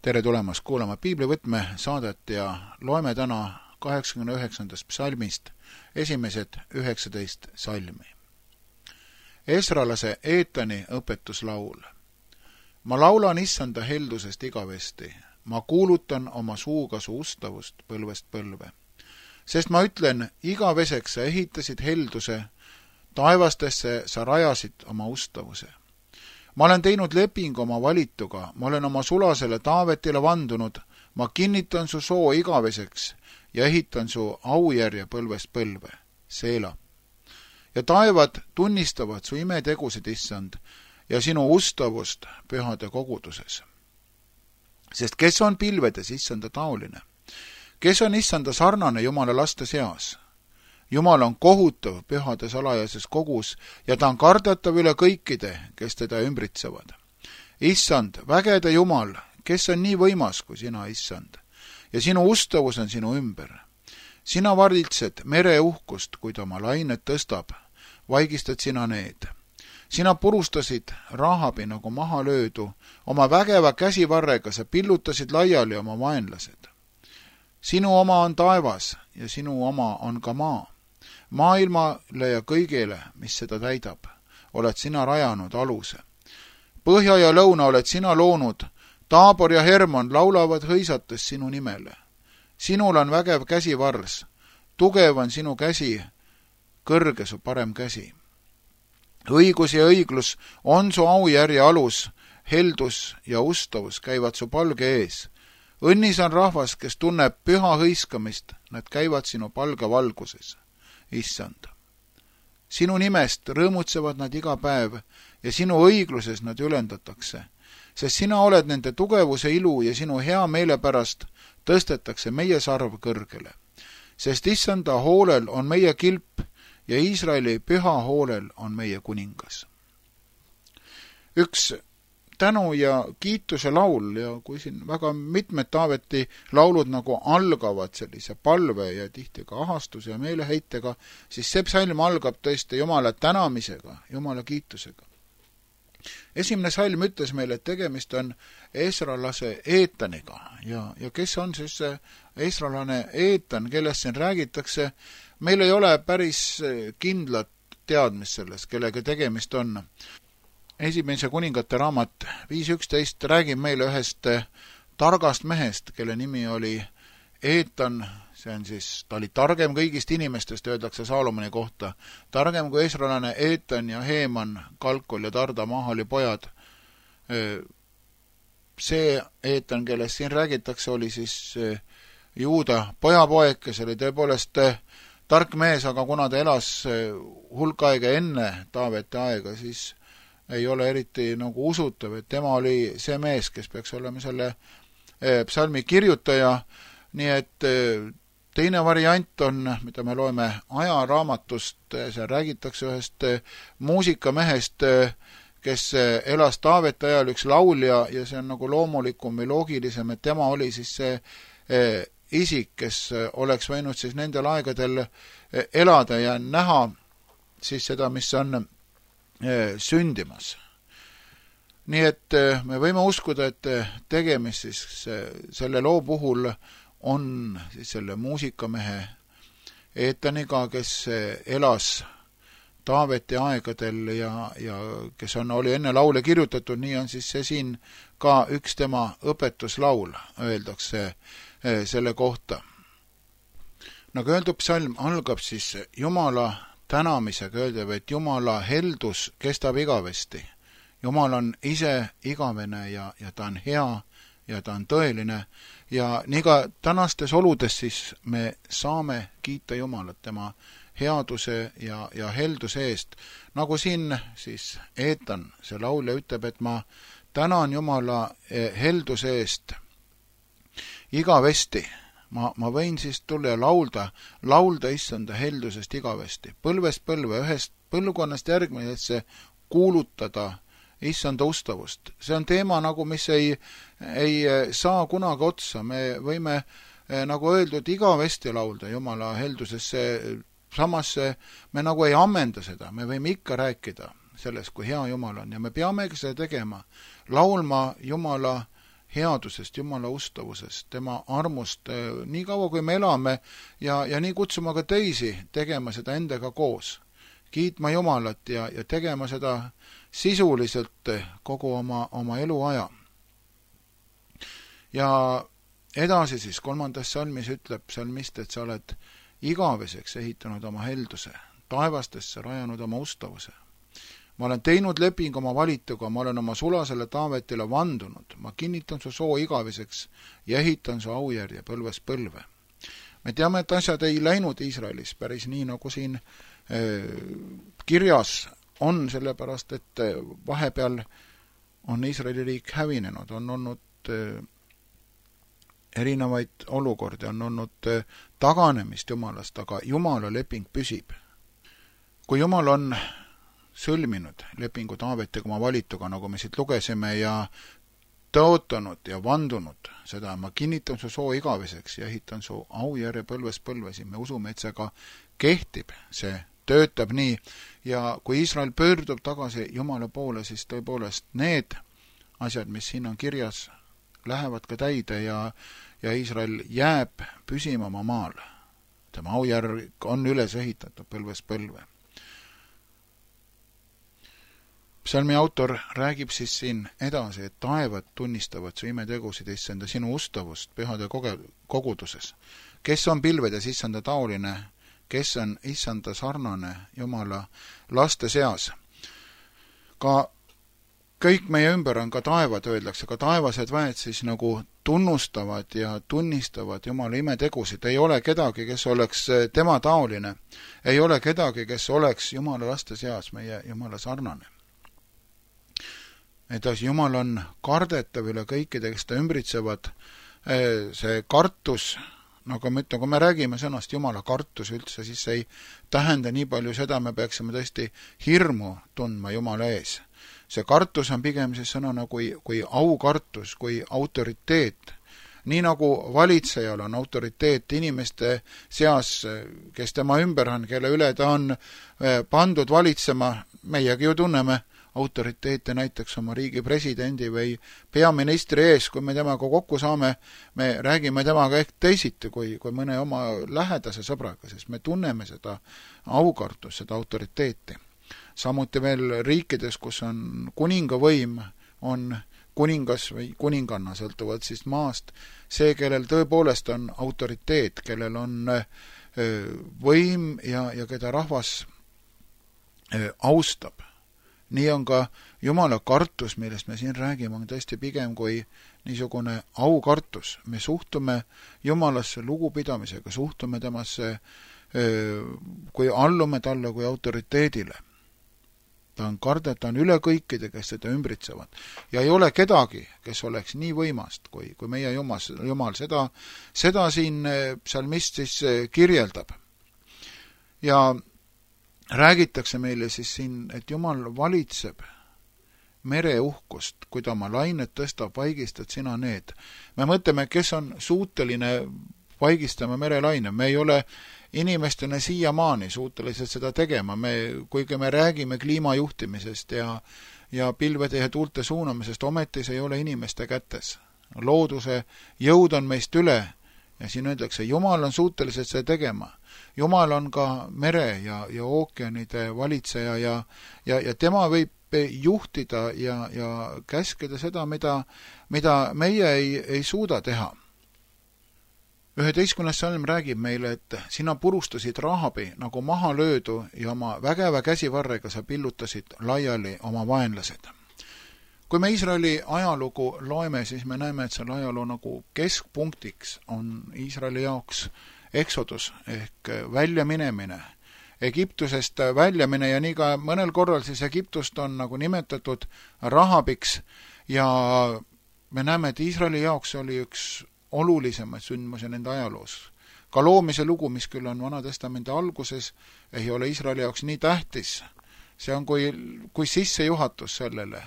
Tere tulemast kuulama Piiblivõtme saadet ja loeme täna 89. psalmist esimesed 19 salmi. Esralase Eetani õpetuslaul. Ma laulan issanda heldusest igavesti, ma kuulutan oma suuga su ustavust põlvest põlve. Sest ma ütlen, igaveseks sa ehitasid helduse, taevastesse sa rajasid oma ustavuse. Ma olen teinud lepingu oma valituga, ma olen oma sulasele Taavetile vandunud, ma kinnitan su soo igaveseks ja ehitan su aujärje põlvest põlve, Seela. Ja taevad tunnistavad su imetegusid, issand, ja sinu ustavust pühade koguduses. Sest kes on pilvedes issanda taoline? Kes on issanda sarnane Jumala laste seas? Jumal on kohutav pühade salajases kogus ja ta on kardatav üle kõikide, kes teda ümbritsevad. Issand, vägede Jumal, kes on nii võimas kui sina, issand, ja sinu ustavus on sinu ümber. Sina varitsed mere uhkust, kui ta oma lainet tõstab, vaigistad sina need. Sina purustasid Rahabi nagu maha löödu, oma vägeva käsivarrega sa pillutasid laiali oma vaenlased. Sinu oma on taevas ja sinu oma on ka maa. Maailmale ja kõigele, mis seda täidab, oled sina rajanud aluse. Põhja ja lõuna oled sina loonud, Taabor ja Hermon laulavad hõisates sinu nimele. Sinul on vägev käsivars, tugev on sinu käsi, kõrge su parem käsi. Õigus ja õiglus on su aujärje alus, heldus ja ustavus käivad su palge ees. Õnnis on rahvas, kes tunneb püha hõiskamist, nad käivad sinu palge valguses. Issand. Sinu nimest rõõmutsevad nad iga päev ja sinu õigluses nad ülendatakse, sest sina oled nende tugevuse ilu ja sinu hea meele pärast tõstetakse meie sarv kõrgele. Sest issanda hoolel on meie kilp ja Iisraeli püha hoolel on meie kuningas. Üks tänu ja kiituse laul ja kui siin väga mitmed Taaveti laulud nagu algavad sellise palve ja tihti ka ahastuse ja meeleheitega, siis see psalm algab tõesti Jumala tänamisega, Jumala kiitusega. Esimene salm ütles meile, et tegemist on esralase Eetaniga ja kes on siis see esralane Eetan, kellest siin räägitakse, meil ei ole päris kindlat teadmist sellest, kellega tegemist on. Esimese kuningate raamat 5.11 räägib meile ühest targast mehest, kelle nimi oli Eetan, see on siis, ta oli targem kõigist inimestest, öeldakse Saalomoni kohta, targem kui esralane Eetan ja Heeman, Kalkol ja Tarda Mahali pojad. See Eetan, kellest siin räägitakse, oli siis Juuda pojapoeg, kes oli tõepoolest tark mees, aga kuna ta elas hulk aega enne Taaveti aega, siis ei ole eriti nagu usutav, et tema oli see mees, kes peaks olema selle psalmi kirjutaja, nii et teine variant on, mida me loeme ajaraamatust, seal räägitakse ühest muusikamehest, kes elas Taaveti ajal, üks laulja, ja see on nagu loomulikum või loogilisem, et tema oli siis see isik, kes oleks võinud siis nendel aegadel elada ja näha siis seda, mis on sündimas. Nii et me võime uskuda, et tegemist siis selle loo puhul on siis selle muusikamehe Eetaniga, kes elas Taaveti aegadel ja kes oli enne laule kirjutatud, nii on siis see siin ka üks tema õpetuslaul, öeldakse selle kohta. Nagu öeldud, psalm algab siis Jumala tänamisega, öeldab, et Jumala heldus kestab igavesti. Jumal on ise igavene ja ta on hea ja ta on tõeline ja nii ka tänastes oludes siis me saame kiita Jumalat tema headuse ja helduse eest. Nagu siin siis Eetan, see laulja ütleb, et ma tänan Jumala helduse eest igavesti. Ma võin siis tulla ja laulda issanda heldusest igavesti. Põlvest põlve, ühest põlvkonnast järgmisesse kuulutada issanda ustavust. See on teema, nagu mis ei saa kunagi otsa. Me võime, nagu öeldud, igavesti laulda Jumala heldusest. Samas me nagu ei ammenda seda. Me võime ikka rääkida sellest, kui hea Jumal on. Ja me peamegi seda tegema. Laulma Jumala headusest, Jumala ustavusest, tema armust, nii kaua kui me elame ja nii kutsuma ka teisi tegema seda endaga koos, kiitma Jumalat ja tegema seda sisuliselt kogu oma eluaja. Ja edasi siis 3. salmis ütleb salmist, et sa oled igaveseks ehitanud oma helduse, taevastesse rajanud oma ustavuse. Ma olen teinud leping oma valituga, ma olen oma sulasele Taavetile vandunud, ma kinnitan su soo igaveseks ja ehitan su aujärje põlvest põlve. Me teame, et asjad ei läinud Iisraelis päris nii, nagu siin kirjas on, sellepärast, et vahepeal on Iisraeli riik hävinenud, on olnud erinevaid olukordi, on olnud taganemist Jumalast, aga Jumala leping püsib. Kui Jumal on sõlminud lepingu Taavetiga oma valituga, nagu me siit lugesime, ja tõotanud ja vandunud seda, ma kinnitan su soo igaveseks ja ehitan su aujärje põlvest põlvesi, me usume, et see ka kehtib, see töötab nii, ja kui Iisrael pöördub tagasi Jumala poole, siis tõepoolest need asjad, mis siin on kirjas, lähevad ka täide ja Iisrael jääb püsima oma maal. Tema aujärg on üles ehitatud põlvest põlve. Psalmi autor räägib siis siin edasi, et taevad tunnistavad su imetegusid, issanda, sinu ustavust pühade koguduses. Kes on pilvedes issanda taoline, kes on issanda sarnane Jumala laste seas? Ka kõik meie ümber on, ka taevad öeldakse, ka taevased väed siis nagu tunnustavad ja tunnistavad Jumala imetegusid. Ei ole kedagi, kes oleks tema taoline. Ei ole kedagi, kes oleks Jumala laste seas meie Jumala sarnane. Edasi, Jumal on kardetav üle kõikide, kes ta ümbritsevad. See kartus, nagu ma ütlen, kui me räägime sõnast Jumala kartus üldse, siis ei tähenda nii palju seda, me peaksime tõesti hirmu tundma Jumala ees. See kartus on pigem siis sõnana kui aukartus, kui autoriteet. Nii nagu valitsejal on autoriteet inimeste seas, kes tema ümber on, kelle üle ta on pandud valitsema, meiegi ju tunneme autoriteete näiteks oma riigi presidendi või peaministri ees, kui me temaga kokku saame, me räägime temaga ehk teisiti kui mõne oma lähedase sõbraga, sest me tunneme seda aukartust, seda autoriteeti. Samuti veel riikides, kus on kuningavõim, on kuningas või kuninganna, sõltuvalt siis maast, see, kellel tõepoolest on autoriteet, kellel on võim ja keda rahvas austab. Nii on ka Jumala kartus, millest me siin räägime, on tõesti pigem kui niisugune aukartus. Me suhtume Jumalasse lugupidamisega, suhtume temasse, kui allume talle kui autoriteedile. Ta on kardet, ta on üle kõikide, kes seda ümbritsevad. Ja ei ole kedagi, kes oleks nii võimast, kui meie Jumal. Seda siin psalmist siis kirjeldab. Ja räägitakse meile siis siin, et Jumal valitseb mere uhkust, kui ta oma lainet tõstab, vaigistad sina need. Me mõtleme, kes on suuteline vaigistama merelaine. Me ei ole inimestena siiamaani suutelised seda tegema. Kuigi me räägime kliimajuhtimisest ja pilvede ja tuulte suunamisest, ometi see ei ole inimeste kätes. Looduse jõud on meist üle ja siin öeldakse, Jumal on suutelised seda tegema. Jumal on ka mere ja ookeanide valitseja ja tema võib juhtida ja käskida seda, mida meie ei suuda teha. 11. salm räägib meile, et sina purustasid Rahabi nagu maha löödu ja oma vägeva käsivarrega sa pillutasid laiali oma vaenlased. Kui me Iisraeli ajalugu loeme, siis me näeme, et selle ajaloo nagu keskpunktiks on Iisraeli jaoks eksodus ehk väljaminemine, Egiptusest väljamine ja nii ka mõnel korral siis Egiptust on nagu nimetatud Rahabiks ja me näeme, et Iisraeli jaoks oli üks olulisemaid sündmusi nende ajaloos. Ka loomise lugu, mis küll on Vanatestamendi alguses, ei ole Iisraeli jaoks nii tähtis. See on kui sissejuhatus sellele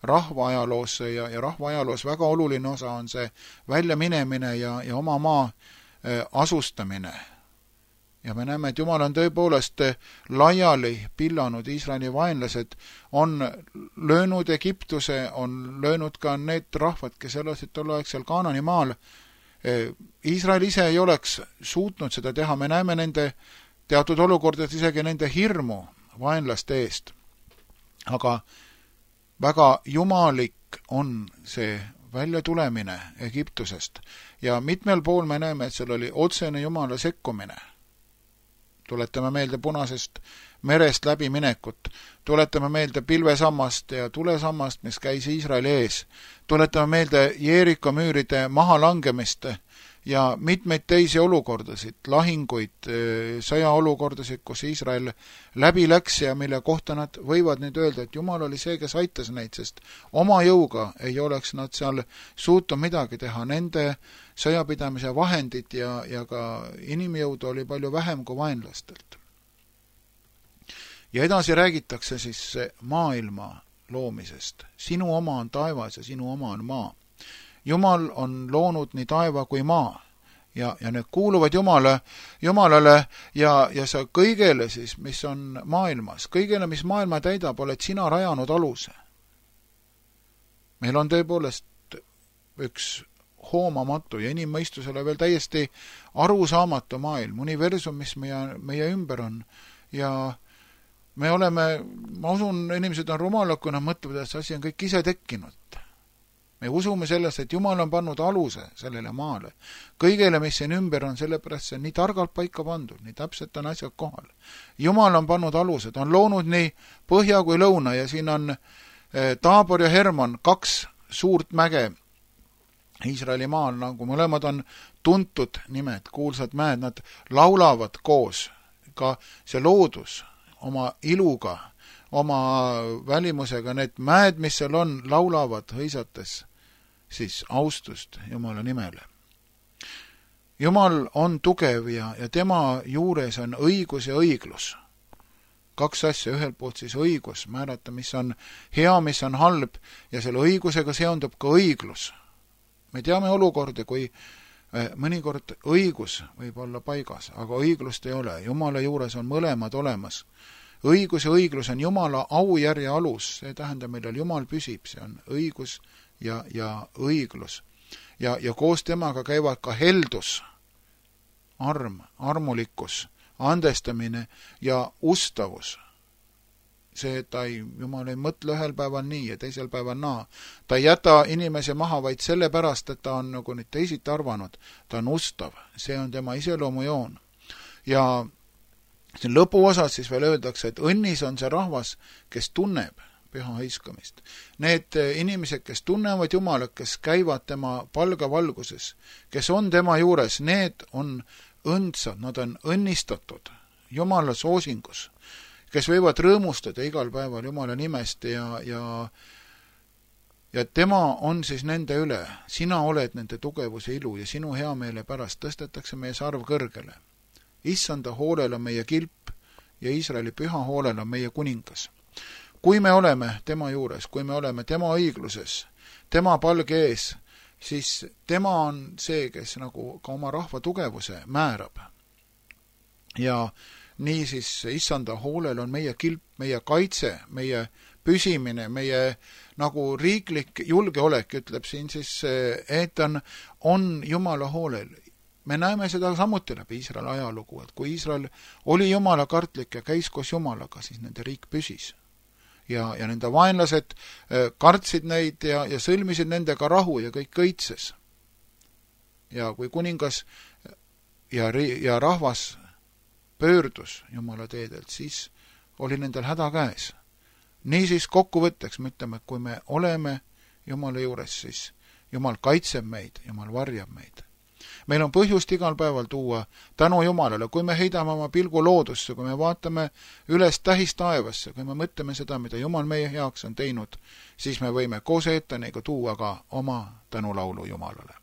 rahva ajaloosse ja rahva ajaloos väga oluline osa on see väljaminemine ja oma maa asustamine. ja me näeme, et Jumal on tõepoolest laiali pillanud Iisraeli vaenlased, on löönud Egiptuse, on löönud ka need rahvad, kes elasid tolleaegsel Kaanani maal. Iisrael ise ei oleks suutnud seda teha, me näeme nende teatud olukordades isegi nende hirmu vaenlaste eest. Aga väga jumalik on see väljatulemine Egiptusest ja mitmel pool me näeme, et seal oli otsene Jumala sekkumine. Tuletame meelde Punasest merest läbiminekut, tuletame meelde pilvesammast ja tulesammast, mis käis Iisraeli ees, tuletame meelde Jeeriko müüride mahalangemist ja mitmeid teisi olukordasid, lahinguid, sõjaolukordasid, kus Iisrael läbi läks ja mille kohta nad võivad nüüd öelda, et Jumal oli see, kes aitas neid, sest oma jõuga ei oleks nad seal suutnud midagi teha. Nende sõjapidamise vahendid ja ka inimjõudu oli palju vähem kui vaenlastelt. Ja edasi räägitakse siis maailma loomisest. Sinu oma on taevas ja sinu oma on maa. Jumal on loonud nii taeva kui maa ja need kuuluvad Jumalale ja sa kõigele siis, mis on maailmas, kõigele, mis maailma täidab, oled sina rajanud aluse. Meil on tõepoolest üks hoomamatu ja inimmõistusele veel täiesti arusaamatu maailm, universum, mis meie ümber on ja me oleme, ma usun, inimesed on rumalad, kui nad mõtlevad, et see asi on kõik ise tekkinud. Me usume sellest, et Jumal on pannud aluse sellele maale. Kõigele, mis siin ümber on, sellepärast see on nii targalt paika pandud, nii täpselt on asjad kohal. Jumal on pannud alused, on loonud nii põhja kui lõuna ja siin on Taabor ja Hermon, 2 suurt mäge Iisraeli maal, nagu mõlemad on tuntud nimed, kuulsad mäed, nad laulavad koos, ka see loodus oma iluga, oma välimusega, need mäed, mis seal on, laulavad hõisates siis austust Jumala nimele. Jumal on tugev ja tema juures on õigus ja õiglus. 2 asja, ühelt poolt siis õigus, määrata, mis on hea, mis on halb ja selle õigusega seondub ka õiglus. Me teame olukorda, kui mõnikord õigus võib olla paigas, aga õiglust ei ole. Jumala juures on mõlemad olemas. Õigus ja õiglus on Jumala aujärje alus, see tähendab, millal Jumal püsib, see on õigus ja õiglus. Ja koos temaga käivad ka heldus, armulikkus, andestamine ja ustavus. See, et Jumal ei mõtle ühel päeval nii ja teisel päeval naa. Ta ei jäta inimese maha vaid sellepärast, et ta on nagu nüüd teisiti arvanud. Ta on ustav, see on tema iseloomujoon. Ja siin lõpuosas siis veel öeldakse, et õnnis on see rahvas, kes tunneb püha hõiskamist. Need inimesed, kes tunnevad Jumalat, kes käivad tema palgavalguses, kes on tema juures, need on õndsad, nad on õnnistatud Jumala soosingus, kes võivad rõõmustada igal päeval Jumala nimest ja tema on siis nende üle. Sina oled nende tugevuse ilu ja sinu heameele pärast tõstetakse meie sarv kõrgele. Issanda hoolel on meie kilp ja Iisraeli püha hoolel on meie kuningas. Kui me oleme tema juures, kui me oleme tema õigluses, tema palge ees, siis tema on see, kes nagu ka oma rahva tugevuse määrab. Ja nii siis Issanda hoolel on meie kilp, meie kaitse, meie püsimine, meie nagu riiklik julgeolek, ütleb siin siis, et on Jumala hoolel. Me näeme seda samuti läbi Iisraeli ajalugu, et kui Iisrael oli Jumala kartlik ja käis koos Jumalaga, siis nende riik püsis. Ja nende vaenlased kartsid neid ja sõlmisid nendega rahu ja kõik õitses. Ja kui kuningas ja rahvas pöördus Jumala teedelt, siis oli nendel häda käes. Niisiis kokkuvõtteks me ütleme, et kui me oleme Jumala juures, siis Jumal kaitseb meid, Jumal varjab meid. Meil on põhjust igal päeval tuua tänu Jumalale, kui me heidame oma pilgu loodusse, kui me vaatame üles tähistaevasse, kui me mõtleme seda, mida Jumal meie heaks on teinud, siis me võime koos eetaniga tuua ka oma tänulaulu Jumalale.